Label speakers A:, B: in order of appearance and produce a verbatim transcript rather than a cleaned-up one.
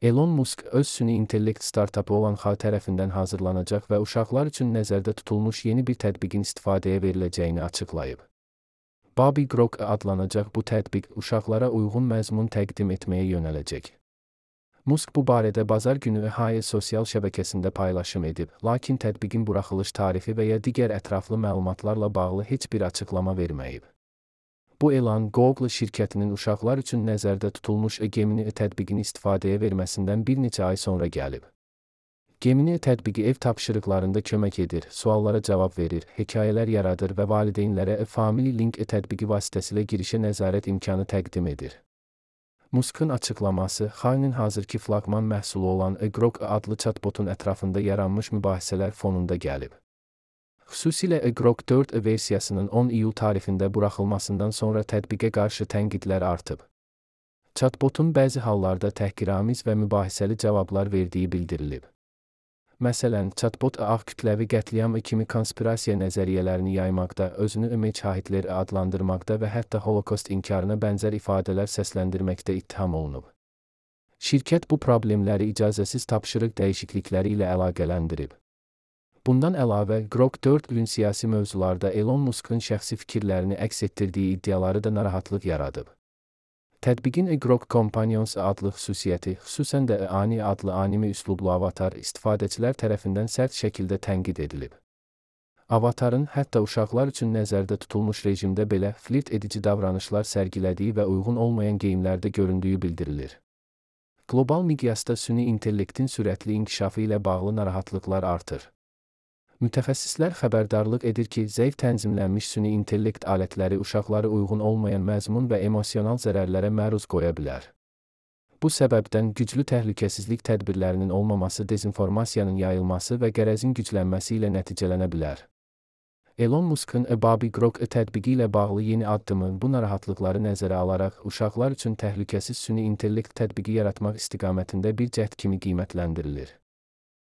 A: Elon Musk öz süni intellekt startapı olan X A I tərəfindən hazırlanacaq və uşaqlar üçün nəzərdə tutulmuş yeni bir tətbiqin istifadəyə veriləcəyini açıqlayıb. Baby Grok adlanacaq bu tətbiq uşaqlara uyğun məzmun təqdim etməyə yönələcək. Musk bu barədə bazar günü X A I sosial şəbəkəsində paylaşım edib, lakin tətbiqin buraxılış tarifi və ya digər ətraflı məlumatlarla bağlı heç bir açıqlama verməyib. Bu elan Google şirkətinin uşaqlar üçün nəzərdə tutulmuş Gemini tətbiqini istifadəyə verməsindən bir neçə ay sonra gəlib. Gemini tətbiqi ev tapşırıqlarında kömək edir, suallara cavab verir, hekayələr yaradır və valideynlərə Family Link tətbiqi vasitəsilə girişə nəzarət imkanı təqdim edir. Musk'ın açıqlaması X A I-nin hazırki flaqman məhsulu olan Grok adlı chatbotun ətrafında yaranmış mübahisələr fonunda gəlib. Xüsusilə Grok dörd versiyasının on iyul tarixində buraxılmasından sonra tətbiqə qarşı tənqidlər artıb. Chatbotun bəzi hallarda təhqiramiz və mübahisəli cavablar verdiyi bildirilib. Məsələn, chatbot ağ kütləvi qətliam kimi konspirasiya nəzəriyyələrini yaymaqda, özünü image Hitler adlandırmaqda və hətta Holokost inkarına bənzər ifadələr səsləndirməkdə ittiham olunub. Şirkət bu problemləri icazəsiz tapşırıq dəyişiklikləri ilə əlaqələndirib. Bundan əlavə, Grok dörd siyasi mövzularda Elon Musk'ın şəxsi fikirlərini əks etdirdiyi iddiaları da narahatlıq yaradıb. Tətbiqin Grok Companions adlı xüsusiyyəti, xüsusən də Ani adlı anime üslublu avatar istifadəçilər tərəfindən sərt şəkildə tənqid edilib. Avatarın hətta uşaqlar üçün nəzərdə tutulmuş rejimdə belə flirt edici davranışlar sərgilədiyi və uyğun olmayan geyimlərdə göründüyü bildirilir. Qlobal miqyasda süni intellektin sürətli inkişafı ilə bağlı narahatlıqlar artır. Mütəxəssislər xəbərdarlıq edir ki, zəif tənzimlənmiş süni intellekt alətləri uşaqları uyğun olmayan məzmun və emosional zərərlərə məruz qoya bilər. Bu səbəbdən güclü təhlükəsizlik tədbirlərinin olmaması dezinformasiyanın yayılması və qərəzin güclənməsi ilə nəticələnə bilər. Elon Musk'ın Baby Grok tətbiqi ilə bağlı yeni addımı bu narahatlıqları nəzərə alaraq uşaqlar üçün təhlükəsiz süni intellekt tətbiqi yaratmaq istiqamətində bir cəhd kimi qiymətləndirilir.